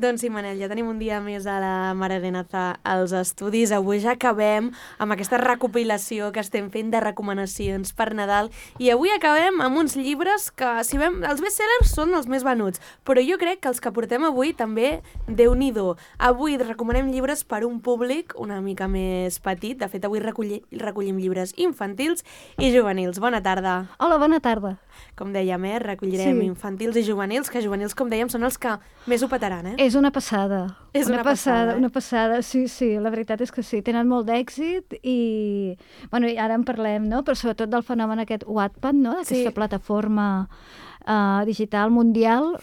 Doncs sí, Manel, ja tenim un dia més a la Mare de Nazà als estudis. Avui ja acabem amb aquesta recopilació que estem fent de recomanacions per Nadal i avui acabem amb uns llibres que, si veiem, els bestsellers són els més venuts, però jo crec que els que portem avui també, Déu-n'hi-do. Avui recomanem llibres per un públic una mica més petit. De fet, avui recollim llibres infantils i juvenils. Bona tarda. Hola, bona tarda. Com dèiem, recollirem infantils i juvenils, que juvenils, com dèiem, són els que més ho petaran, És una passada. És una passada. Una passada, sí, la veritat és que sí. Tenen molt d'èxit i, bueno, ara en parlem, no? Però sobretot del fenomen aquest Wattpad, no? Aquesta plataforma digital mundial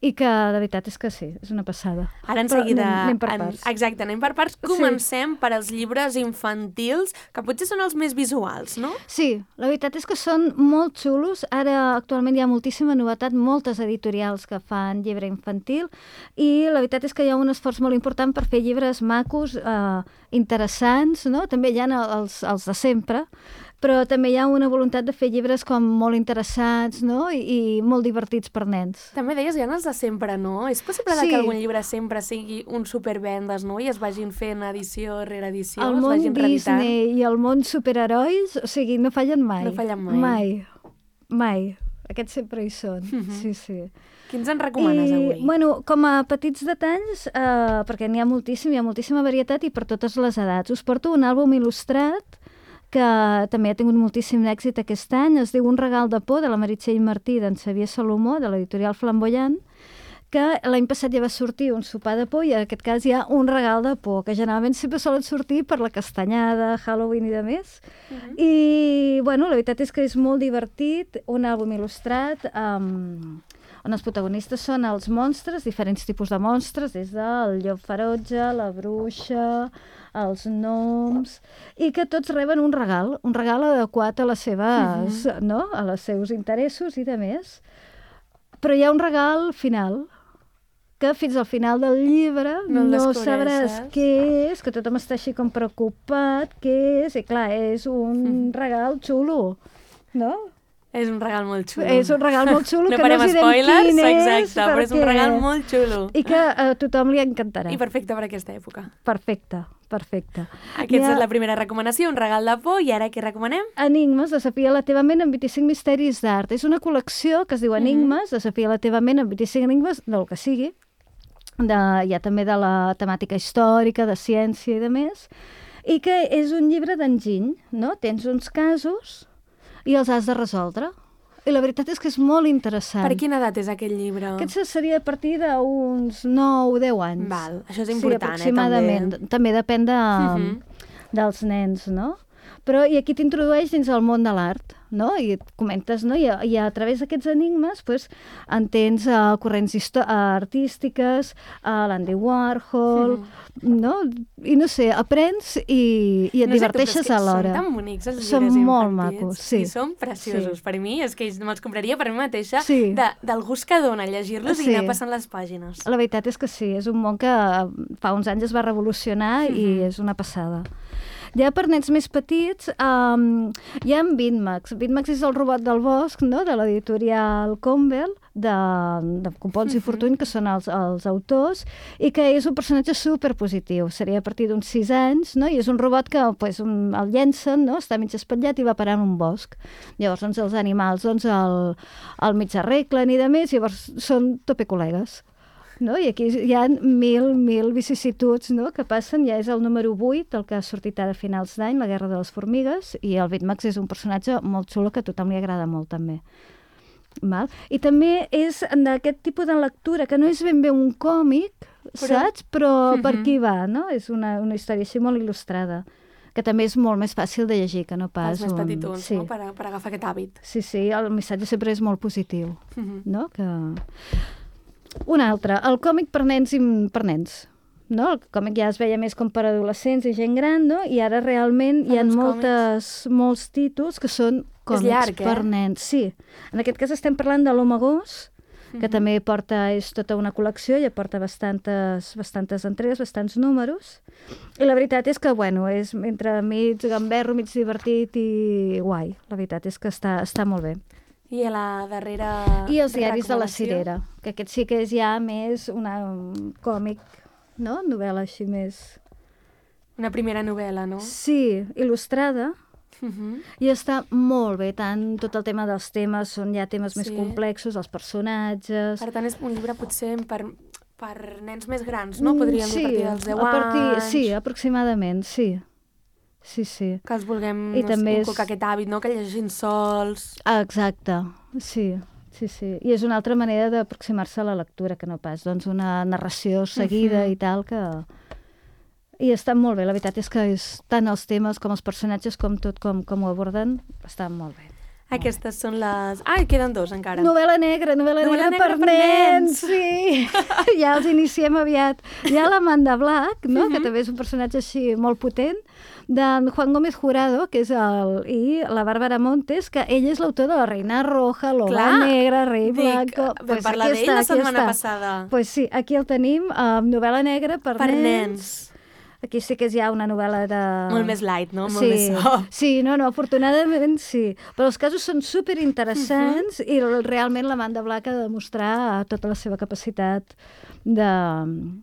i que de veritat és que sí, és una passada. Ara en seguida anem per parts. Exacte, anem per parts. Comencem per als llibres infantils, que potser són els més visuals, no? Sí, la veritat és que són molt xulos. Ara actualment hi ha moltíssima novetat, moltes editorials que fan llibre infantil i la veritat és que hi ha un esforç molt important per fer llibres macos, interessants, no? També hi ha els de sempre, però també hi ha una voluntat de fer llibres com molt interessants, no? I molt divertits per nens. També deies, hi ha els de sempre, no? És possible que algun llibre sempre sigui un supervendes, no? I es vagin fent edició rere edició, el món Disney i el món superherois, o sigui, no fallen mai. No fallen mai. Mai. Aquests sempre hi són, sí. Quins en recomanes avui? Bueno, com a petits detalls, perquè n'hi ha moltíssima varietat i per totes les edats. Us porto un àlbum il·lustrat que també ha tingut moltíssim èxit aquest any. Es diu Un regal de por, de la Meritxell Martí, d'en Xavier Salomó, de l'editorial Flamboyant, que l'any passat ja va sortir Un sopar de por i en aquest cas hi ha Un regal de por, que generalment sempre solen sortir per la castanyada, Halloween i de més. I, bueno, la veritat és que és molt divertit, un àlbum il·lustrat on els protagonistes són els monstres, diferents tipus de monstres, des del llop ferotge, la bruixa, els gnoms, i que tots reben un regal adequat a les seves, no? A els seus interessos i de més. Però hi ha un regal final, que fins al final del llibre no sabràs què és, que tothom està així com preocupat, què és, i clar, és un regal xulo, no? És un regal molt xulo. És un regal molt xulo, no que no us direm quin és. Exacte, però és un regal molt xulo. I que a tothom li encantarà. I perfecte per aquesta època. Perfecte. Aquesta és la primera recomanació, Un regal de por, i ara què recomanem? Enigmes, desafia la teva ment amb 25 misteris d'art. És una col·lecció que es diu Enigmes, desafia la teva ment amb 25 enigmes, del que sigui. Hi ha també de la temàtica històrica, de ciència i de més. I que és un llibre d'enginy, no? Tens uns casos i els has de resoldre. I la veritat és que és molt interessant. Per quina edat és aquest llibre? Aquest seria a partir d'uns 9 o 10 anys. Val, això és important, aproximadament. També depèn dels nens, no? Però i aquí t'introdueix dins el món de l'art, no? I et comentes, no? I a través d'aquests enigmes entens corrents artístiques, l'Andy Warhol, no? I no sé, aprens i et diverteixes alhora. Són tan bonics els llibres infantils. Són molt macos, sí. I són preciosos. Per mi, és que me'ls compraria per mi mateixa, del gust que dona llegir-los i anar passant les pàgines. La veritat és que sí, és un món que fa uns anys es va revolucionar i és una passada. Ja per nens més petits hi ha Bitmax. Bitmax és el robot del bosc, no? De l'editorial Campbell, de Copons i Fortuny, que són els autors, i que és un personatge superpositiu. Seria a partir d'uns 6 anys, no? I és un robot que el llencen, no? Està mig espatllat i va parar en un bosc. Llavors els animals el mig arreglen i de més, llavors són topecol·legues. No? I aquí hi ha mil vicissituds, no? Que passen. Ja és el número 8, el que ha sortit ara a finals d'any, La guerra de les formigues, i el Bitmax és un personatge molt xulo que a tothom li agrada molt, també. Val? I també és d'aquest tipus de lectura, que no és ben bé un còmic, saps? Però per aquí va, no? És una història així molt il·lustrada, que també és molt més fàcil de llegir, que no pas... Els més petitons, no? Per agafar aquest hàbit. Sí, el missatge sempre és molt positiu, no? Un altre, el còmic per nens, no? El còmic ja es veia més com per adolescents i gent gran, no? I ara realment hi ha molts títols que són còmics per nens. Sí, en aquest cas estem parlant de l'Home Gos, que també és tota una col·lecció, ja porta bastantes entregues, bastants números, i la veritat és que, és entre mig gamberro, mig divertit i guai. La veritat és que està molt bé. I a la darrera I els diaris de la recomanació? Cirera, que aquest sí que és ja més un còmic, no? Novel·la així més... Una primera novel·la, no? Sí, il·lustrada, Mhm. i està molt bé, tant tot el tema dels temes, són ja temes més Sí. complexos, els personatges... Per tant, és un llibre potser per nens més grans, no? Podríem dir a partir dels 10 anys. Sí, aproximadament, sí. Sí, sí. Que els vulguem I també inculcar aquest hàbit, no? Que llegeixin sols. Exacte, sí. Sí, sí. I és una altra manera d'aproximar-se a la lectura, que no pas doncs, una narració seguida i tal, que... I està molt bé, la veritat és que tant els temes com els personatges, com tot com ho aborden, estan molt bé. Aquestes són les... Ah, queden dos encara. Novel·la negra per nens! Sí! Ja els iniciem aviat. Hi ha l'Amanda Black, no? Que també és un personatge així molt potent, d'en Juan Gómez Jurado, que és i la Bàrbara Montes, que ella és l'autor de La Reina Roja, L'Oga Negra, Rei Blanco... Vam parlar d'ell la setmana passada. Pues sí, aquí el tenim, novel·la negra per nens. Aquí sí que és ja una novel·la de... Molt més light, no? Molt més soft. Sí, no, afortunadament sí. Però els casos són superinteressants i realment l'Amanda Black ha de demostrar tota la seva capacitat de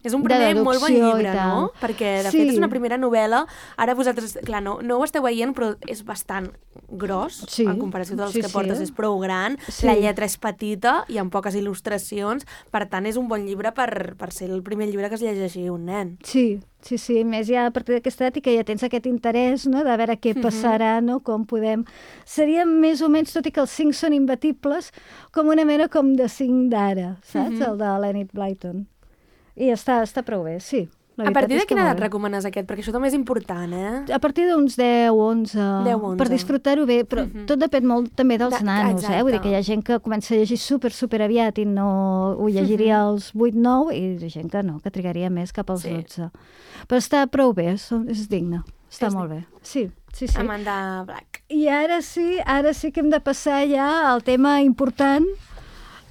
És un primer molt bon llibre, no? Perquè, de fet, és una Sí. primera novel·la. Ara vosaltres, clar, no ho esteu veient, però és bastant gros, Sí. en comparació dels Sí, que sí. portes, és prou gran, Sí. la lletra és petita i amb poques il·lustracions, per tant, és un bon llibre per ser el primer llibre que es llegeixi un nen. Sí, sí, sí, més ja a partir d'aquesta edat i que ja tens aquest interès, no?, de veure què passarà, no?, com podem... Seria més o menys, tot i que els 5 són imbatibles, com una mena com de 5 d'ara, saps?, el de l'Enid Blyton. I està prou bé, sí. A partir de quina edat recomanes aquest? Perquè això també és important, eh? A partir d'uns 10, 11, 10, 11. per disfrutar-ho bé, però tot depèn molt també dels nanos, exacte. Vull dir que hi ha gent que comença a llegir super aviat i no ho llegiria als 8, 9, i hi ha gent que no, que trigaria més cap als 12. Però està prou bé, és digne, està molt bé. Sí. Amanda Black. I ara sí que hem de passar ja al tema important,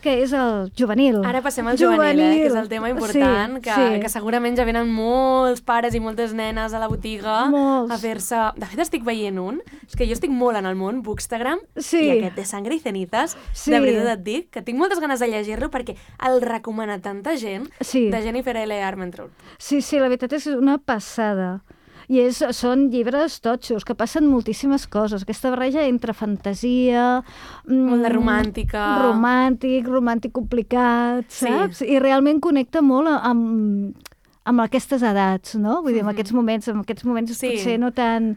que és el juvenil. Ara passem al juvenil, que és el tema important, que segurament ja venen molts pares i moltes nenes a la botiga a fer-se... De fet, estic veient un, és que jo estic molt en el món Bookstagram, i aquest de Sangre i Cenizas, de veritat et dic, que tinc moltes ganes de llegir-lo perquè el recomana tanta gent, de Jennifer L. Armentrout. Sí, la veritat és una passada. I són llibres totxos, que passen moltíssimes coses. Aquesta barreja entre fantasia... Molt de romàntica. Romàntic complicat, saps? I realment connecta molt amb aquestes edats, no? Vull dir, en aquests moments potser no tan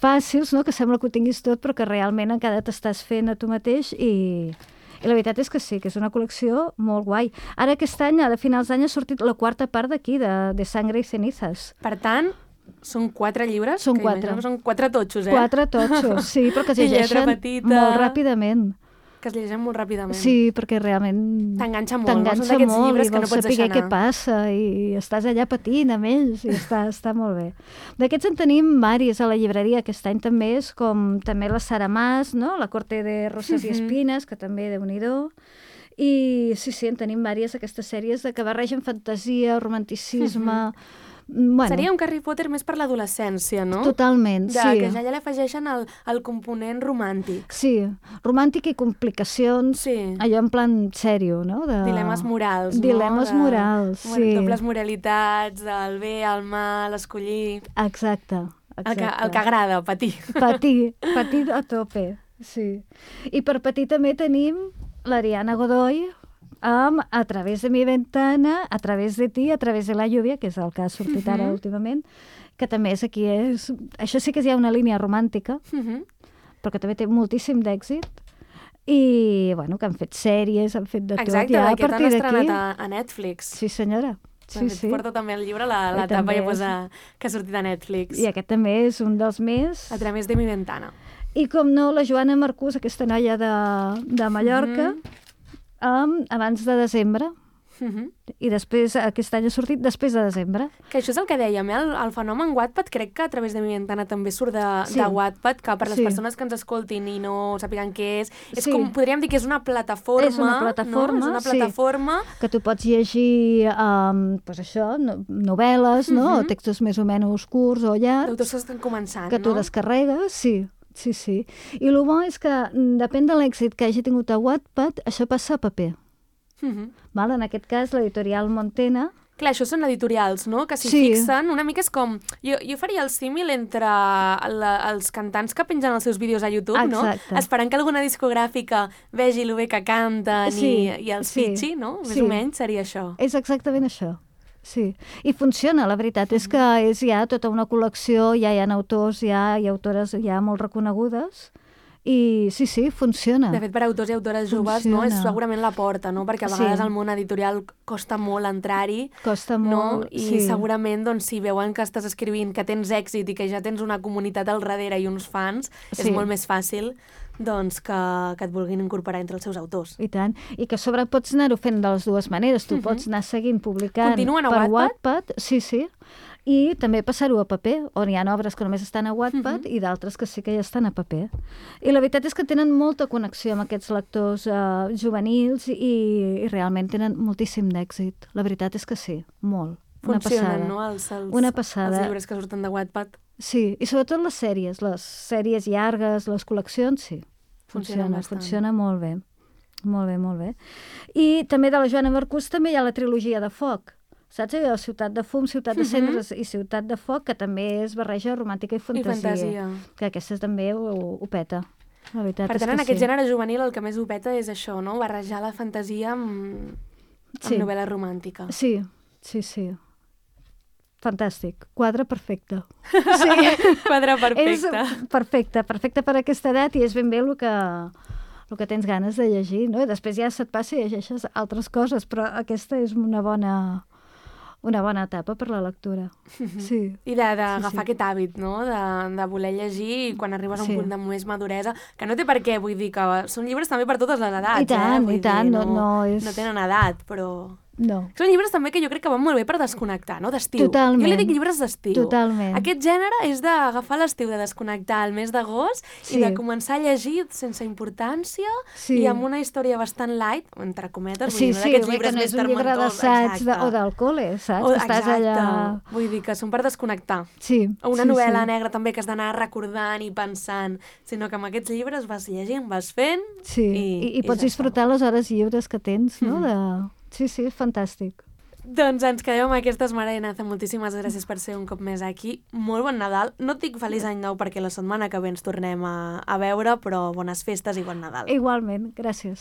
fàcils, no?, que sembla que ho tinguis tot, però que realment encara t'estàs fent a tu mateix i la veritat és que sí, que és una col·lecció molt guai. Ara aquest any, a finals d'any, ha sortit la 4ª part d'aquí, de Sangre i Cenizas. Per tant, són 4 llibres? Són 4. Són 4 totxos, 4 totxos, sí, però que es llegeixen molt ràpidament. Que es llegeixen molt ràpidament. Sí, perquè realment... T'enganxa molt, són d'aquests llibres que no pots deixar anar. Què passa i estàs allà patint amb ells i està molt bé. D'aquests en tenim varis a la llibreria aquest any també, és com també la Sara Mas, no?, La corte de roses i espines, que també Déu-n'hi-do. I sí, en tenim vàries aquestes sèries que barregen fantasia, romanticisme... Bueno, seria un Harry Potter més per l'adolescència, no? Totalment, sí. Que ja l'afegeixen el component romàntic. Sí, romàntic i complicacions, allò en plan sèrio, no? Dilemes morals, no? Dilemes morals, sí. Dobles moralitats, el bé, el mal, escollir... Exacte. El que agrada, patir. Patir a tope, sí. I per patir també tenim l'Ariana Godoy, A través de mi ventana, a través de ti, a través de la lluvia, que és el que ha sortit ara últimament, que també és aquí, això sí que és ja una línia romàntica, però que també té moltíssim d'èxit, i, bueno, que han fet sèries, han fet de tot. Exacte, ja, aquest han estrenat a Netflix. Sí, senyora. Sí. Porto també el llibre, la tapa ja posa que ha sortit a Netflix. I aquest també és un dels més... A través de mi ventana. I, com no, la Joana Marcús, aquesta noia de Mallorca, abans de desembre, i després aquest any ha sortit després de desembre. Que això és el que dèiem, el fenomen Wattpad, crec que a través de mi ventana també surt de Wattpad, que per les persones que ens escoltin i no sàpiguen què és com, podríem dir que és una plataforma. És una plataforma, no? És una plataforma que tu pots llegir novel·les, no? O textos més o menys curts o llargs. D'autors que estan començant, que tu descarregues, Sí, sí. I el bo és que depèn de l'èxit que hagi tingut a Wattpad, això passa a paper. Val? En aquest cas, l'editorial Montena... Clar, això són editorials, no? Que s'hi fixen. Una mica és com... Jo faria el símil entre els cantants que pengen els seus vídeos a YouTube, no? Esperant que alguna discogràfica vegi el bé que canten i els fitxi, no? Més o menys seria això. És exactament això. Sí, i funciona, la veritat és que és ja tota una col·lecció, ja hi ha autors i autores ja molt reconegudes, i sí, funciona. De fet, per autors i autores joves, no, és segurament la porta, no? Perquè a vegades al món editorial costa molt entrar-hi. Costa molt, I segurament, doncs, si veuen que estàs escrivint, que tens èxit i que ja tens una comunitat al darrere i uns fans, és molt més fàcil doncs que et vulguin incorporar entre els seus autors. I tant. I que a sobre pots anar-ho fent de les dues maneres. Tu pots anar seguint publicant per Wattpad. Sí. I també passar-ho a paper, on hi ha obres que només estan a Wattpad i d'altres que sí que ja estan a paper. I la veritat és que tenen molta connexió amb aquests lectors juvenils i realment tenen moltíssim d'èxit. La veritat és que sí, molt. Funcionen, no? Una passada. Els llibres que surten de Wattpad. Sí, i sobretot les sèries llargues, les col·leccions, sí. Funciona molt bé. Molt bé. I també de la Joana Marcús també hi ha la trilogia de Foc. Saps? Hi ha Ciutat de Fum, Ciutat de Cendres i Ciutat de Foc, que també és barreja romàntica i fantasia. Que aquesta també ho peta. La veritat per tant, és que en aquest gènere juvenil el que més ho peta és això, no? Barrejar la fantasia amb novel·la romàntica. Sí. Fantàstic. Quadre perfecte. Sí. Quadre perfecte. És perfecte per aquesta edat i és ben bé el que tens ganes de llegir, no? I després ja se't passa i llegeixes altres coses, però aquesta és una bona etapa per la lectura. Sí. I d'agafar aquest hàbit, no? De voler llegir i quan arribes a un punt de més maduresa, que no té per què, vull dir que són llibres també per totes les edats. I tant. No tenen edat, però... No. Són llibres també que jo crec que van molt bé per desconnectar, no? D'estiu. Totalment. Jo li dic llibres d'estiu. Totalment. Aquest gènere és d'agafar l'estiu, de desconnectar el mes d'agost i de començar a llegir sense importància i amb una història bastant light, entre cometes, vull dir, no d'aquests llibres més termentosos. Sí, que no és un llibre d'assaig o del col·le, saps? Estàs allà... Vull dir que són per desconnectar. Sí. O una novel·la negra també que has d'anar recordant i pensant, sinó que amb aquests llibres vas llegint, vas fent... Sí, i pots disfrutar les hores lliures que tens, no? Sí, fantàstic. Doncs ens quedem amb aquestes, Mara Naza. Moltíssimes gràcies per ser un cop més aquí. Molt bon Nadal. No et dic feliç any nou perquè la setmana que ve ens tornem a veure, però bones festes i bon Nadal. Igualment, gràcies.